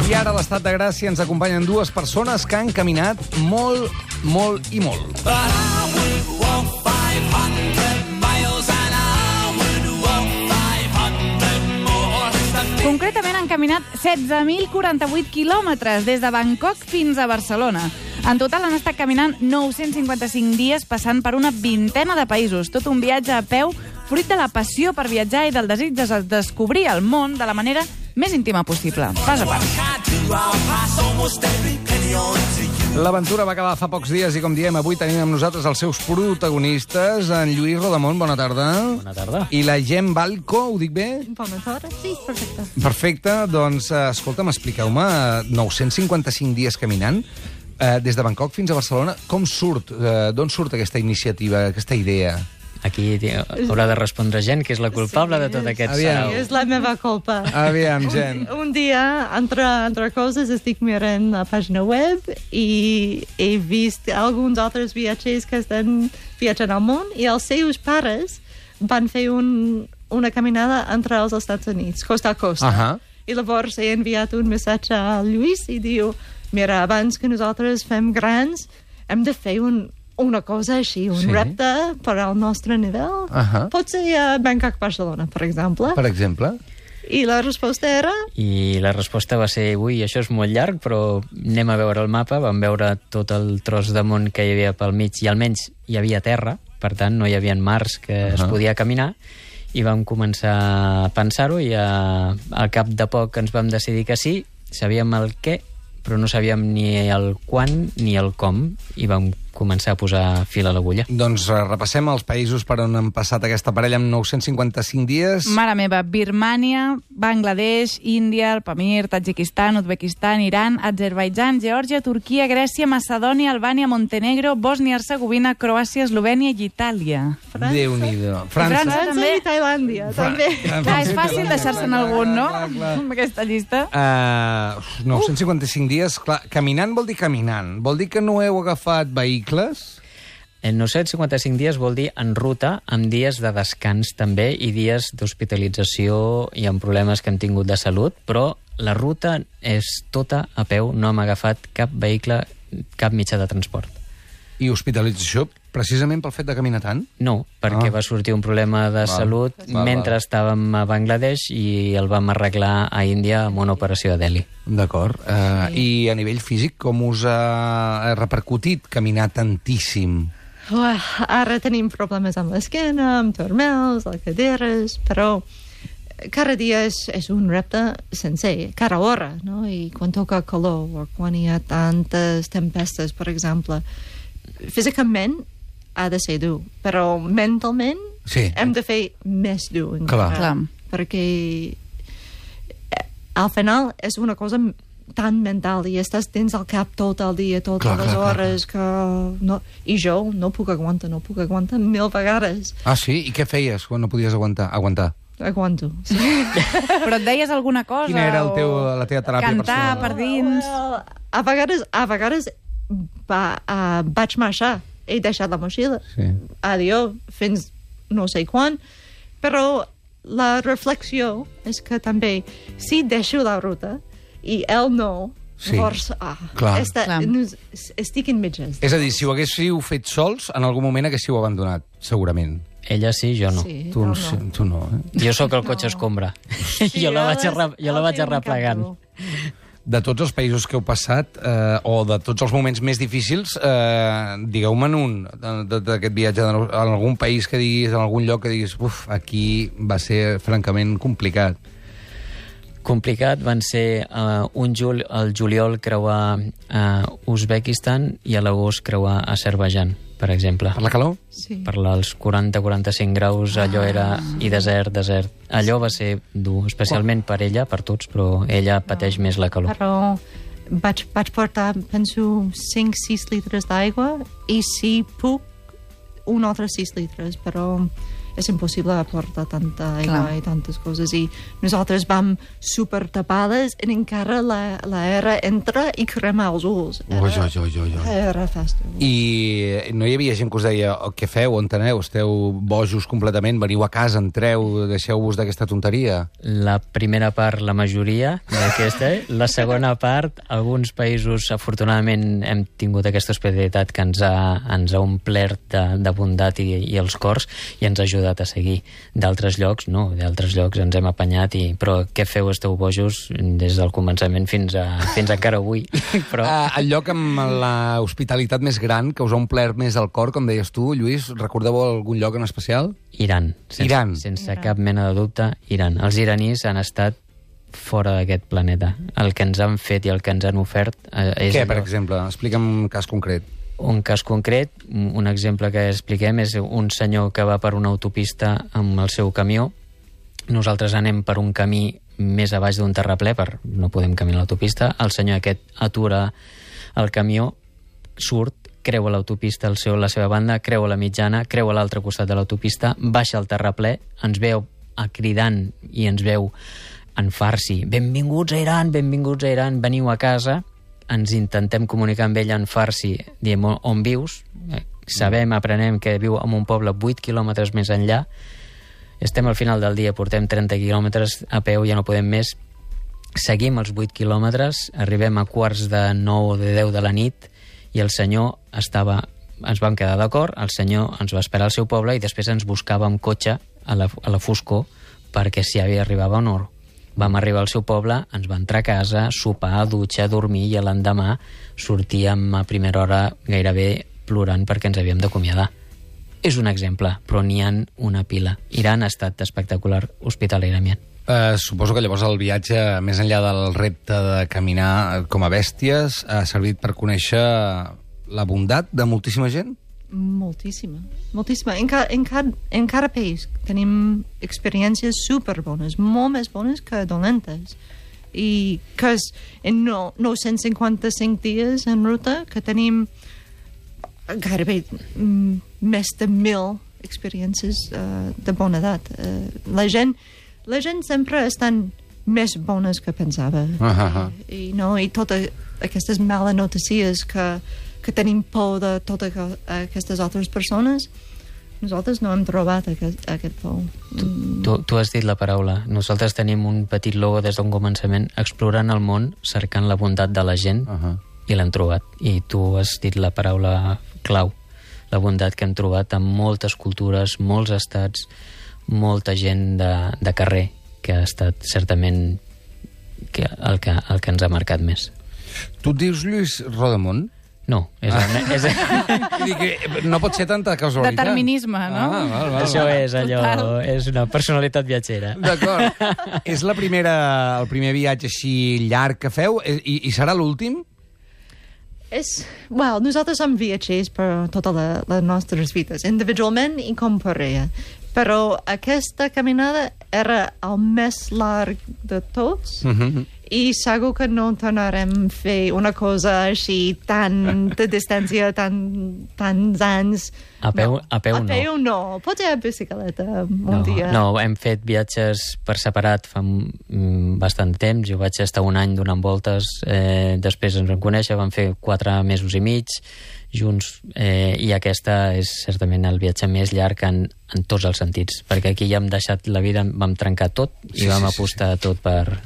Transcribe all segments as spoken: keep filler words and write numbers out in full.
I ara a l'Estat de Gràcia ens acompanyen dues persones que han caminat molt, molt i molt. Concretament han caminat setze mil quaranta-vuit quilòmetres des de Bangkok fins a Barcelona. En total han estat caminant nou-cents cinquanta-cinc dies passant per una vintena de països. Tot un viatge a peu fruit de la passió per viatjar i del desig de descobrir el món de la manera més íntima possible. Pas a pas. L'aventura va acabar fa pocs dies i, com diem, avui tenim amb nosaltres els seus protagonistes. En Lluís Rodamont, bona tarda. Bona tarda. I la Gem Balco, ho dic bé? Bona tarda, sí, perfecte. Perfecte, doncs, escolta'm, expliqueu-me, nou-cents cinquanta-cinc dies caminant, eh, des de Bangkok fins a Barcelona, com surt, eh, d'on surt aquesta iniciativa, aquesta idea? Aquí haurà de respondre gent, que és la culpable sí, de tot aquest Aviam. sarau. És la meva culpa. Aviam, gent. Un, un dia, entre, entre coses, estic mirant la pàgina web i he vist alguns altres viatgers que estan viatjant al món i els seus pares van fer un, una caminada entre els Estats Units, costa a costa. Uh -huh. I llavors he enviat un missatge a Lluís i diu, mira, abans que nosaltres fem grans, hem de fer un una cosa així, un sí. repte per al nostre nivell. Uh -huh. Pot ser a Bangkok-Barcelona, per exemple. Per exemple? I la resposta era... I la resposta va ser, ui, això és molt llarg, però anem a veure el mapa, vam veure tot el tros de món que hi havia pel mig, i almenys hi havia terra, per tant no hi havia mars que uh -huh. es podia caminar, i vam començar a pensar-ho, i a, al cap de poc ens vam decidir que sí, sabíem el què, però no sabíem ni el quan ni el com, i vam començar a posar fil a l'agulla. Doncs uh, repassem els països per on han passat aquesta parella amb nou-cents cinquanta-cinc dies. Mare meva, Birmània, Bangladesh, Índia, el Pamir, Tadjikistan, Uzbekistan, Iran, Azerbaidjan, Geòrgia, Turquia, Grècia, Macedònia, Albània, Montenegro, Bòsnia-Hercegovina, Croàcia, Eslovènia i Itàlia. França. Déu-n'hi-do. França. França França també. i Tailàndia, Fra també. Clar, és fàcil deixar-se'n algun, no? Clar, clar. Amb aquesta llista. Uh, nou-cents cinquanta-cinc dies, clar, caminant vol dir caminant. Vol dir que no heu agafat vehicles? En nou-cents cinquanta-cinc dies vol dir en ruta, amb dies de descans també i dies d'hospitalització i amb problemes que hem tingut de salut, però la ruta és tota a peu, no hem agafat cap vehicle, cap mitjà de transport. I hospitalització precisament pel fet de caminar tant? No, perquè Ah. va sortir un problema de Val. salut Val, mentre val. estàvem a Bangladesh i el vam arreglar a Índia amb una operació a Delhi. D'acord. Uh, I a nivell físic, com us ha repercutit caminar tantíssim? Uah, ara tenim problemes amb l'esquena, amb turmels, les caderes, però cada dia és, és un repte sencer, cada hora, no? I quan toca calor o quan hi ha tantes tempestes, per exemple, físicament ha de ser dur, però mentalment Sí. hem de fer més dur encara. Clar. Clar. Perquè eh, al final és una cosa tan mental i estàs dins el cap tot el dia, totes Clar, les clar, clar, hores que... No, i jo no puc aguantar, no puc aguantar mil vegades. Ah, sí? I què feies quan no podies aguantar? Aguantar. Aguanto. Sí. Però et deies alguna cosa? Quina era el o teu, la teva teràpia Cantar personal? per dins? Well, a vegades, a vegades va, uh, vaig marxar. He deixat la motxilla. Sí. Adiós, fins no sé quan. Però la reflexió és que també, si deixo la ruta i ell no, Sí. llavors, ah, Clar. esta, Clar. no, estic en mitges. És a dir, si ho haguéssiu fet sols, en algun moment haguéssiu abandonat, segurament. Ella sí, jo no. Sí, Tu, no, sí, no. tu no, eh? Jo sóc el cotxe escombra. jo la vaig, arra, jo la vaig arreplegant. De tots els països que heu passat, eh, o de tots els moments més difícils, eh, digueu-me'n un de- de- d'aquest viatge, en algun país que diguis, en algun lloc que diguis, uf, aquí va ser francament complicat. Complicat van ser uh, un jul, el juliol creuar a uh, Uzbekistan i a l'agost creuar a Azerbaidjan, per exemple. Per la calor? Sí. Per als quaranta a quaranta-cinc graus, allò era... I desert, desert. Allò va ser dur, especialment per ella, per tots, però ella pateix més la calor. Però vaig, vaig portar, penso, cinc sis litres d'aigua i si puc, un altre sis litres, però és impossible portar tanta aigua Clar. i tantes coses. I nosaltres vam super tapades i encara la, la era entra i crema els ulls. Era, Oi, oi, oi, oi, oi. era fàstic. I no hi havia gent que us deia oh, què feu, on aneu, esteu bojos completament, veniu a casa, entreu, deixeu-vos d'aquesta tonteria? La primera part, la majoria d'aquesta. La segona part, alguns països, afortunadament, hem tingut aquesta hospitalitat que ens ha, ens ha omplert de, de bondat i, i els cors i ens ha ajudat a seguir. D'altres llocs, no. D'altres llocs ens hem apanyat i... Però què feu, esteu bojos des del començament fins a, fins a encara avui. Però... Uh, el lloc amb la hospitalitat més gran, que us ha omplert més el cor, com deies tu, Lluís, recordeu algun lloc en especial? Iran. Sense, Iran. Sense Iran. cap mena de dubte, Iran. Els iranís han estat fora d'aquest planeta. El que ens han fet i el que ens han ofert eh, és... Què, allò. per exemple? Explica'm un cas concret. Un cas concret, un exemple que expliquem, és un senyor que va per una autopista amb el seu camió. Nosaltres anem per un camí més a baix d'un terraplè, per no podem caminar a l'autopista. El senyor aquest atura el camió, surt, creua l'autopista al seu, la seva banda, creua la mitjana, creua l'altre costat de l'autopista, baixa al terraplè, ens veu a cridant i ens veu en farsi. Benvinguts a Iran, benvinguts a Iran, veniu a casa. Ens intentem comunicar amb ell en farsi, diem on vius, sabem, aprenem que viu en un poble vuit quilòmetres més enllà, estem al final del dia, portem trenta quilòmetres a peu, ja no podem més, seguim els vuit quilòmetres, arribem a quarts de nou o de deu de la nit i el senyor estava, ens vam quedar d'acord, el senyor ens va esperar al seu poble i després ens buscava amb cotxe a la, a la foscor perquè si havia arribava o no. Vam arribar al seu poble, ens va entrar a casa, sopar, dutxar, dormir i l'endemà sortíem a primera hora gairebé plorant perquè ens havíem d'acomiadar. És un exemple, però n'hi ha una pila. Iran ha estat espectacular hospitalerament. Uh, suposo que llavors el viatge, més enllà del repte de caminar com a bèsties, ha servit per conèixer la bondat de moltíssima gent? Moltíssima, moltíssima. En, ca, en, ca, en cada país tenim experiències superbones, molt més bones que dolentes. I que és en no, nou-cents cinquanta-cinc dies en ruta que tenim gairebé mm, més de mil experiències uh, de bona edat. Uh, la gent la gent sempre estan més bones que pensava. Uh -huh. I, no, i totes aquestes males notícies que que tenim por de totes aquestes altres persones, nosaltres no hem trobat aquest, aquest por. Tu, tu, tu has dit la paraula. Nosaltres tenim un petit logo des d'un començament, explorant el món, cercant la bondat de la gent, uh -huh. i l'hem trobat. I tu has dit la paraula clau, la bondat que hem trobat en moltes cultures, molts estats, molta gent de, de carrer, que ha estat certament que, el, que, el que ens ha marcat més. Tu et dius Lluís Rodamont? No, és... El, és Dic, no pot ser tanta casualitat. Determinisme, no? Ah, val, val, Això val. és allò... Total. És una personalitat viatgera. D'acord. És la primera, el primer viatge així llarg que feu? I, i serà l'últim? És, well, nosaltres som viatgers per totes la, les nostres vides, individualment i com parella. Però aquesta caminada era el més llarg de tots, Uh-huh. i segur que no tornarem a fer una cosa així tan de distància, tan, tants anys. A peu no. a peu a no. peu no. Potser a bicicleta un No, dia. no, hem fet viatges per separat fa mm, bastant temps. Jo vaig estar un any donant voltes, eh, després ens vam conèixer, vam fer quatre mesos i mig junts, eh, i aquesta és certament el viatge més llarg en, en tots els sentits, perquè aquí ja hem deixat la vida, vam trencar tot i Sí, vam sí, sí, apostar sí. tot per...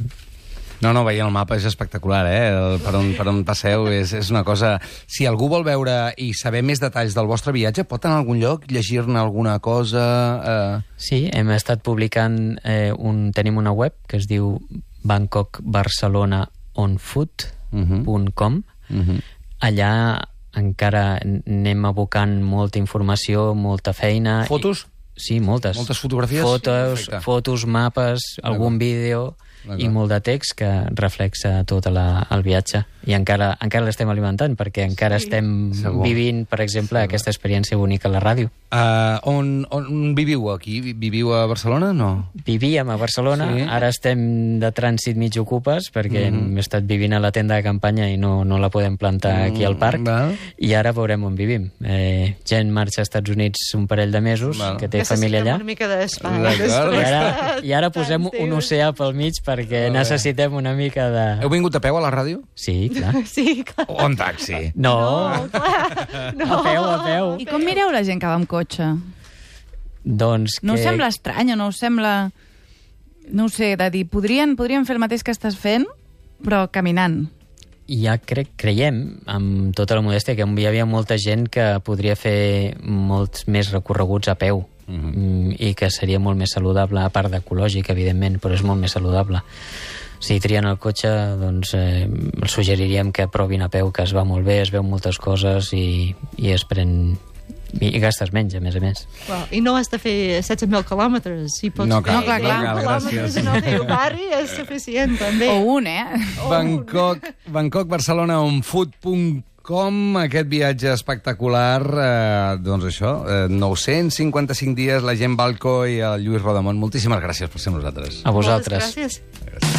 No, no, veient el mapa és espectacular, eh? El, per, on, per on passeu és, és una cosa... Si algú vol veure i saber més detalls del vostre viatge, pot anar a algun lloc, llegir-ne alguna cosa... Eh... Sí, hem estat publicant, eh, un, tenim una web que es diu bangkok barcelona on foot punt com. Uh -huh. Allà encara anem abocant molta informació, molta feina. Fotos? Sí, moltes. Moltes fotografies? Fotos, Perfecte. fotos, mapes, algun vídeo i molt de text que reflexa tot la, el viatge. I encara, encara l'estem alimentant, perquè encara Sí. estem Segur. vivint, per exemple, aquesta experiència única a la ràdio. Uh, on, on viviu aquí? Viviu a Barcelona, no? Vivíem a Barcelona, Sí. sí. Ara estem de trànsit mig ocupes, perquè mm -hmm. hem estat vivint a la tenda de campanya i no, no la podem plantar aquí al parc, Mm, val. i ara veurem on vivim. Eh, gent marxa als Estats Units un parell de mesos, Val. que té família allà. Necessitem una mica d'espai. D'acord. I després ara, de I ara posem tants un dies. oceà pel mig perquè Molt bé. necessitem una mica de... Heu vingut a peu a la ràdio? Sí, clar. Sí, clar. O en taxi? No, No, clar. No. a peu, a peu. I com mireu la gent que va amb cotxe? Doncs No us que... sembla estrany o no us sembla... No ho sé, de dir, podrien, podrien fer el mateix que estàs fent, però caminant. Ja crec, creiem, amb tota la modèstia, que hi havia molta gent que podria fer molts més recorreguts a peu. Mhm. Mm, i que seria molt més saludable, a part d'ecològic, evidentment, però és molt més saludable. Si trien el cotxe, doncs eh, els suggeriríem que provin a peu, que es va molt bé, es veu moltes coses i, i es pren... i gastes menys, a més a més. Well, I no has de fer setze mil quilòmetres. Si pots No fer cal, No, clar, clar. no cal, quilòmetres gràcies. en el teu barri és suficient, també. O un, eh? Bangkok, Bangkok, Barcelona, on food punt com, aquest viatge espectacular, eh, doncs això, eh, nou-cents cinquanta-cinc dies, la gent Balco i el Lluís Rodamont. Moltíssimes gràcies per ser amb nosaltres. A vosaltres. Moltes gràcies. Gràcies.